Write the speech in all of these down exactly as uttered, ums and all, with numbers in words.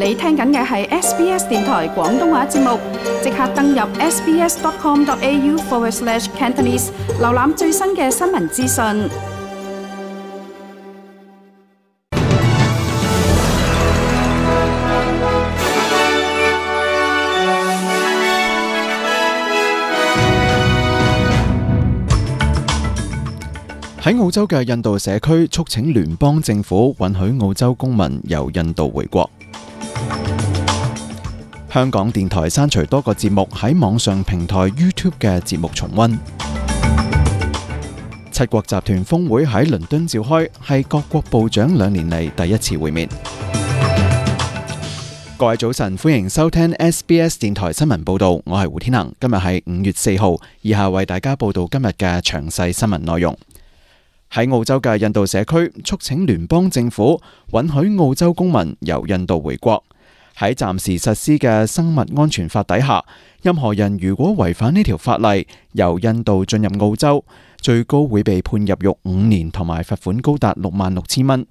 你聽緊嘅係 S B S 電台廣東話節目，即刻登入 sbs.com.au forward slash Cantonese， 瀏覽最新嘅新聞資訊。喺澳洲嘅印度社區促請聯邦政府允許澳洲公民由印度回國。香港電台刪除多個節目喺網上平台 YouTube 嘅節目重溫。七國集團峰會喺倫敦召開，係各國部長兩年嚟第一次會面。各位早晨，歡迎收聽 S B S 電台新聞報道，我係胡天能。今日係五月四號，以下為大家報道今日嘅詳細新聞內容。喺澳洲嘅印度社區促請聯邦政府允許澳洲公民由印度回國。喺暫時實施嘅生物安全法底下，任何人如果違反呢條法例，由印度進入澳洲，最高會被判入獄五年同埋罰款高達六萬六千蚊。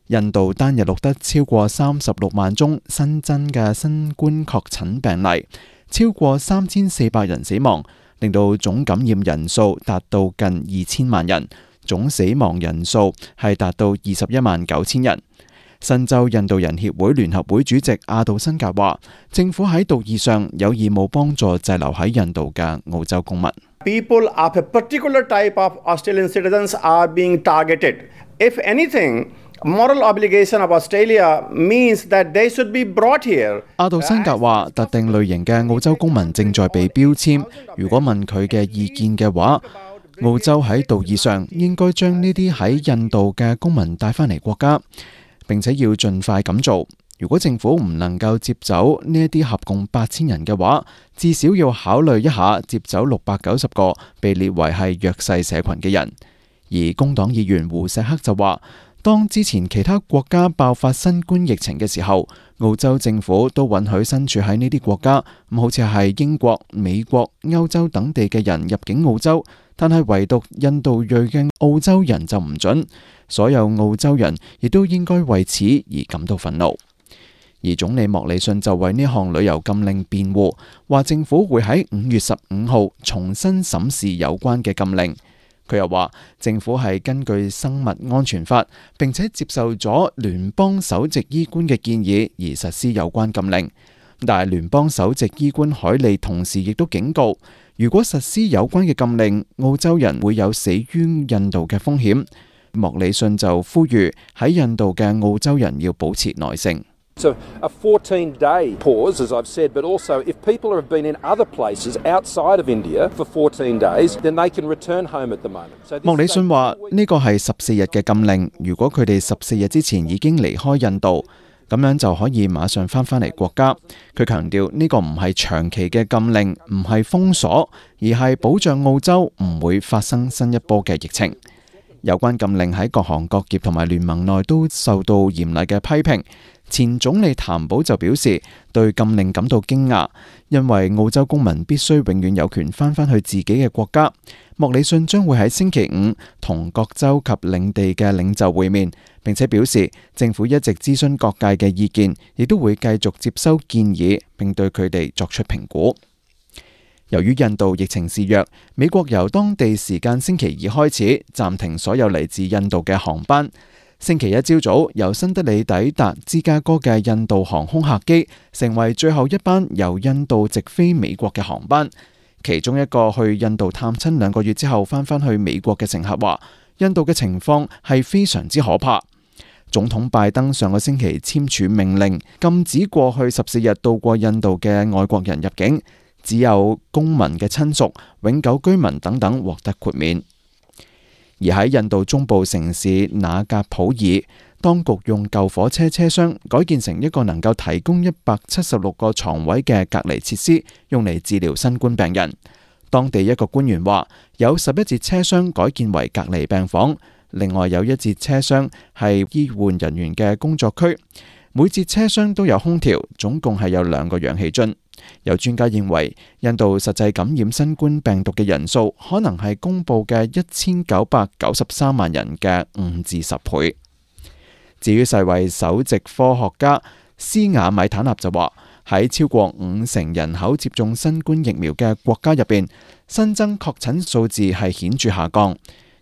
印度單日錄得超過三十六萬宗新增嘅新冠確診病例，超過三千四百人死亡，令到總感染人數達到近二千萬人。總死亡人數係達到二十一萬九千人。新州印度人協會聯合會主席阿杜辛格話，政府喺道義上有義務幫助滯留喺印度嘅澳洲公民。People of a particular type of Australian citizens are being targeted. If anything, moral obligation of Australia means that they should be brought here. 阿杜辛格話，特定類型嘅澳洲公民正在被標籤。如果問佢嘅意見嘅話，澳洲喺道義上應該將呢啲喺印度嘅公民帶返嚟國家，並且要盡快咁做。如果政府唔能夠接走呢一啲合共八千人嘅話，至少要考慮一下接走六百九十個被列為係弱勢社群嘅人。而工黨議員胡錫克就話，當之前其他國家爆發新冠疫情嘅時候，澳洲政府都允許身處喺呢啲國家，咁好似係英國、美國、歐洲等地嘅人入境澳洲，但係唯獨印度裔嘅澳洲人就唔准。所有澳洲人亦都應該為此而感到憤怒。而總理莫里遜就為呢項旅遊禁令辯護，話政府會喺五月十五號重新審視有關嘅禁令。佢又話政府係根據生物安全法，並且接受咗聯邦首席醫官嘅建議而實施有關禁令。但係聯邦首席醫官海利同時亦都警告，如果實施有關嘅禁令，澳洲人會有死於印度嘅風險。莫里遜就呼籲喺印度嘅澳洲人要保持耐性。So a fourteen day pause, as I've said, but also if people have been in other places outside of India for fourteen days, then they can return home at the moment. 莫里遜話呢個係十四日嘅禁令，如果佢哋十四日之前已經離開印度，咁樣就可以馬上翻返嚟國家。佢強調呢個唔係長期嘅禁令，唔係封鎖，而係保障澳洲唔會發生新一波嘅疫情。有關禁令喺各行各業同埋聯盟內都受到嚴厲嘅批評。前總理譚寶就表示對禁令感到驚訝，因為澳洲公民必須永遠有權翻返去自己嘅國家。莫里遜將會喺星期五同各州及領地嘅領袖會面，並且表示政府一直諮詢各界嘅意見，亦都會繼續接收建議，並對佢哋作出評估。由於印度疫情肆虐，美國由當地時間星期二開始暫停所有嚟自印度嘅航班。星期一朝早，由新德里抵達芝加哥嘅印度航空客機成為最後一班由印度直飛美國嘅航班。其中一個去印度探親兩個月之後翻返去美國嘅乘客話，印度嘅情況係非常之可怕。總統拜登上個星期簽署命令，禁止過去十四日到過印度嘅外國人入境，只有公民嘅親屬、永久居民等等獲得豁免。而喺印度中部城市那格普爾，當局用舊火車車廂改建成一個能夠提供一百七十六個床位嘅隔離設施，用嚟治療新冠病人。當地一個官員話，有十一節車廂改建為隔離病房，另外有一節車廂係醫護人員嘅工作區，每節車廂都有空調，總共係有兩個氧氣樽。有專家認為，印度實際感染新冠病毒嘅人數可能係公佈嘅一千九百九十三萬人嘅五至十倍。至於世衛首席科學家斯雅米坦納就話，喺超過五成人口接種新冠疫苗嘅國家入邊，新增確診數字係顯著下降，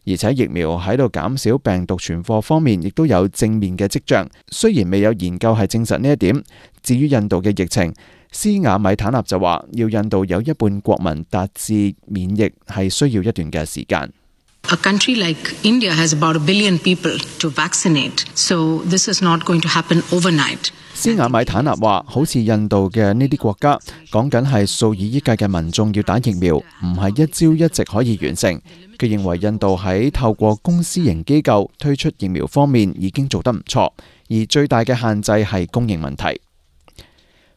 而且疫苗喺度減少病毒傳播方面亦都有正面嘅跡象。雖然未有研究係證實呢一點。至於印度嘅疫情，斯雅米坦納就話，要印度有一半國民達至免疫係需要一段嘅時間。A country like India has about a billion people to vaccinate, so this is not going to happen overnight. 斯雅米坦納話，好似印度嘅呢啲國家，講緊係數以億計嘅民眾要打疫苗，唔係一朝一夕可以完成。佢認為印度喺透過公私營機構推出疫苗方面已經做得唔錯，而最大嘅限制係供應問題。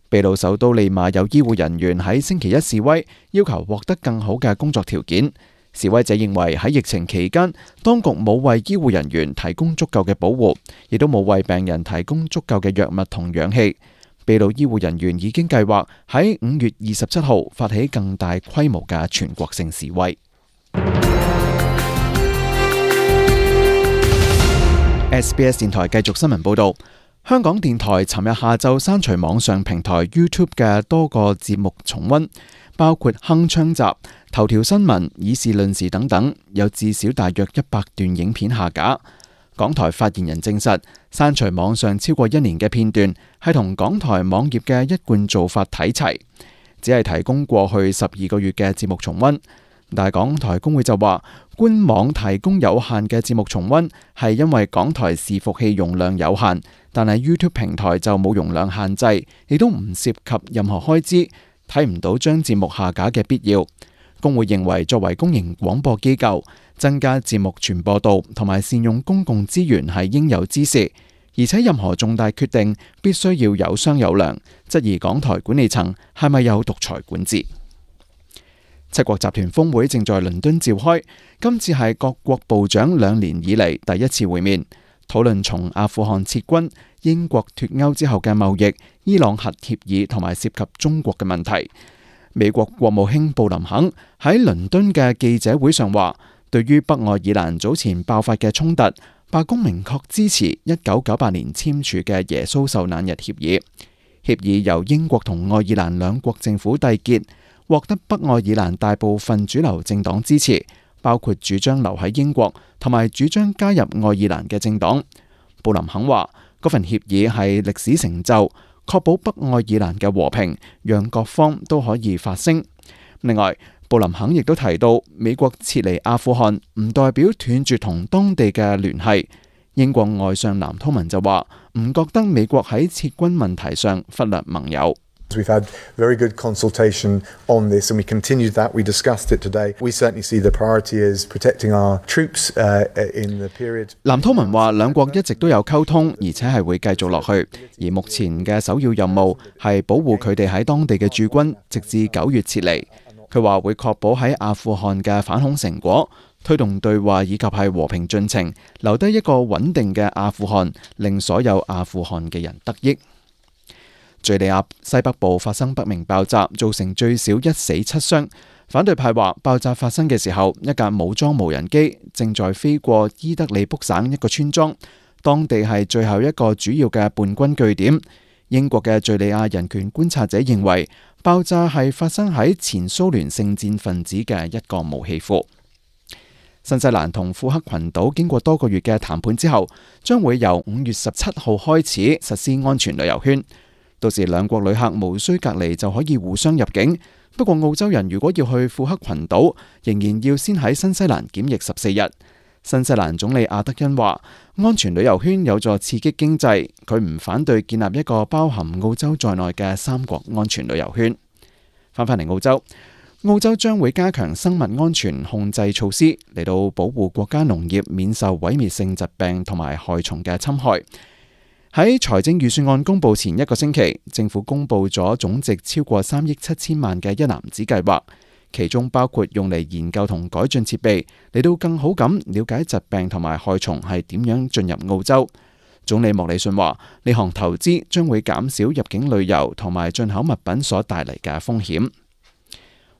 秘魯首都利馬有醫護人員喺星期一示威，要求獲得更好嘅工作條件。示威者認為喺疫情期間，當局冇為醫護人員提供足夠嘅保護，亦都冇為病人提供足夠嘅藥物同氧氣。秘魯醫護人員已經計劃喺五月二十七號發起更大規模嘅全國性示威。S B S 電台繼續新聞報導。香港電台尋日下晝刪除網上平台 YouTube 嘅多個節目重溫，包括鏗鏘集、頭條新聞、議事論事等等，有至少大約一百段影片下架。港台發言人證實，刪除網上超過一年嘅片段係同港台網頁嘅一貫做法睇齊，只係提供過去十二個月嘅節目重溫。但係港台工會就話，官網提供有限嘅節目重溫係因為港台伺服器容量有限，但係 YouTube 平台就冇容量限制，亦都唔涉及任何開支，睇唔到將節目下架嘅必要。工會認為，作為公營廣播機構，增加節目傳播度同埋善用公共資源係應有之事，而且任何重大決定必須要有商有量，質疑港台管理層係咪有獨裁管治。七國集團峰會正在倫敦召開，今次係各國部長兩年以嚟第一次會面，討論從阿富汗撤軍、英國脫歐之後嘅貿易、伊朗核協議同埋涉及中國嘅問題。美國國務卿布林肯喺倫敦嘅記者會上話，對於北愛爾蘭早前爆發嘅衝突，白宮明確支持一九九八年簽署嘅耶穌受難日協議。協議由英國同愛爾蘭兩國政府締結，獲得北愛爾蘭大部分主流政黨支持，包括主張留喺英國同埋主張加入愛爾蘭嘅政黨。布林肯話，嗰份協議係歷史成就，確保北愛爾蘭嘅和平，讓各方都可以發聲。另外，布林肯亦都提到，美國撤離阿富汗唔代表斷絕同當地嘅聯繫。英國外相藍韜文就話，唔覺得美國喺撤軍問題上忽略盟友。We've had very good consultation on this, and we continued that. We discussed it today. We certainly see the priority is protecting our troops uh, in the period. 藍韜文話，兩國一直都有溝通，而且係會繼續落去。而目前嘅首要任務係保護佢哋喺當地嘅駐軍，直至九月撤離。佢話會確保喺阿富汗嘅反恐成果，推動對話以及係和平進程，留低一個穩定嘅阿富汗，令所有阿富汗嘅人得益。敘利亞西北部發生不明爆炸，造成最少一死七傷。反對派話，爆炸發生嘅時候，一架武裝無人機正在飛過伊德利卜省一個村莊，當地係最後一個主要嘅叛軍據點。英國嘅敘利亞人權觀察者認為，爆炸係發生喺前蘇聯聖戰分子嘅一個武器庫。新西蘭同庫克群島經過多個月嘅談判之後，將會由五月十七號開始實施安全旅遊圈。到時兩國旅客無需隔離就可以互相入境。不過澳洲人如果要去庫克群島，仍然要先喺新西蘭檢疫十四日。新西蘭總理阿德恩話，安全旅遊圈有助刺激經濟，佢唔反對建立一個包含澳洲在內嘅三國安全旅遊圈。翻返嚟澳洲，澳洲將會加強生物安全控制措施，嚟到保護國家農業免受毀滅性疾病同埋害蟲嘅侵害。喺財政預算案公布前一個星期，政府公布咗總值超過三億七千萬嘅一籃子計劃，其中包括用嚟研究同改進設備，嚟到更好咁了解疾病同埋害蟲係點樣進入澳洲。總理莫里遜話，呢項投資將會減少入境旅遊同埋進口物品所帶嚟嘅風險。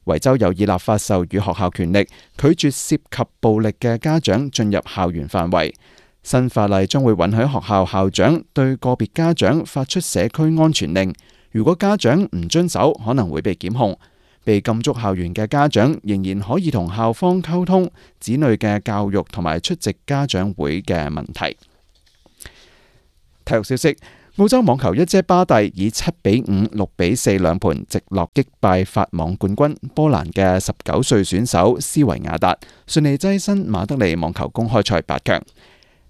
維州有意立法授予學校權力，拒絕涉及暴力嘅家長進入校園範圍。新法例將會允許學校校長對個別家長發出社區安全令，如果家長唔遵守，可能會被檢控。被禁足校園嘅家長仍然可以同校方溝通子女嘅教育同埋出席家長會嘅問題。體育消息：澳洲網球一姐巴蒂以七比五、六比四兩盤直落擊敗法網冠軍波蘭嘅十九歲選手斯維亞達，順利躋身馬德里網球公開賽八強。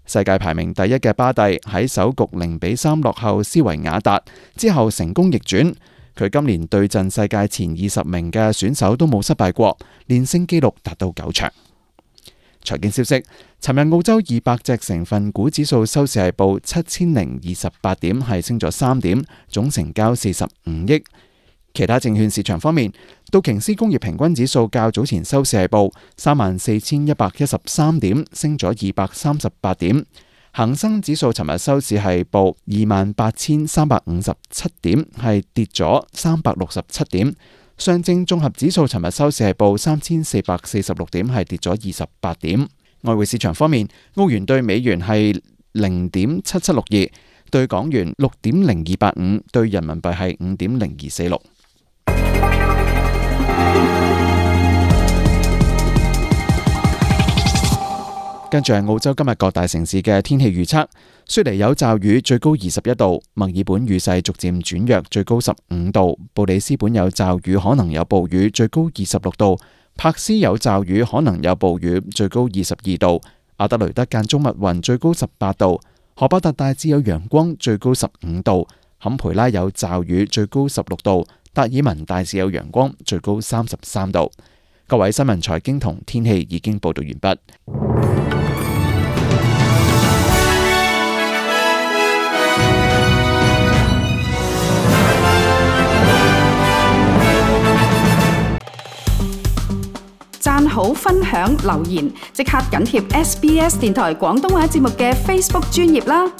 世界排名第一嘅巴蒂喺首局零比三落後斯維亞達之後成功逆轉。佢今年對陣世界前二十名嘅選手都冇失敗過，連勝紀錄達到九場。財經消息：尋日澳洲二百隻成分股指數收市係報七千零二十八點，係升咗三點，總成交四十五億。其他證券市場方面，道瓊斯工業平均指數較早前收市係報三萬四千一百一十三點，升咗二百三十八點。恒生指數尋日收市係報二萬八千三百五十七點，係跌咗三百六十七點。上證綜合指數尋日收市係報三千四百四十六點，係跌咗二十八點。外匯市場方面，澳元對美元係零點七七六二，對港元六點零二八五，對人民幣係五點零二四六。跟住係澳洲今日各大城市嘅天氣預測：悉尼有驟雨，最高二十一度；墨爾本雨勢逐漸轉弱，最高十五度；布里斯本有驟雨，可能有暴雨，最高二十六度；柏斯有驟雨，可能有暴雨，最高二十二度；阿德雷德間中密雲，最高十八度；荷伯特大致有陽光，最高十五度；坎培拉有驟雨，最高十六度；達爾文大致有陽光，最高三十三度。各位新聞財經同天氣已經報道完畢。讚好、分享、留言，即刻緊貼 S B S 電台廣東話節目嘅 Facebook 專頁啦！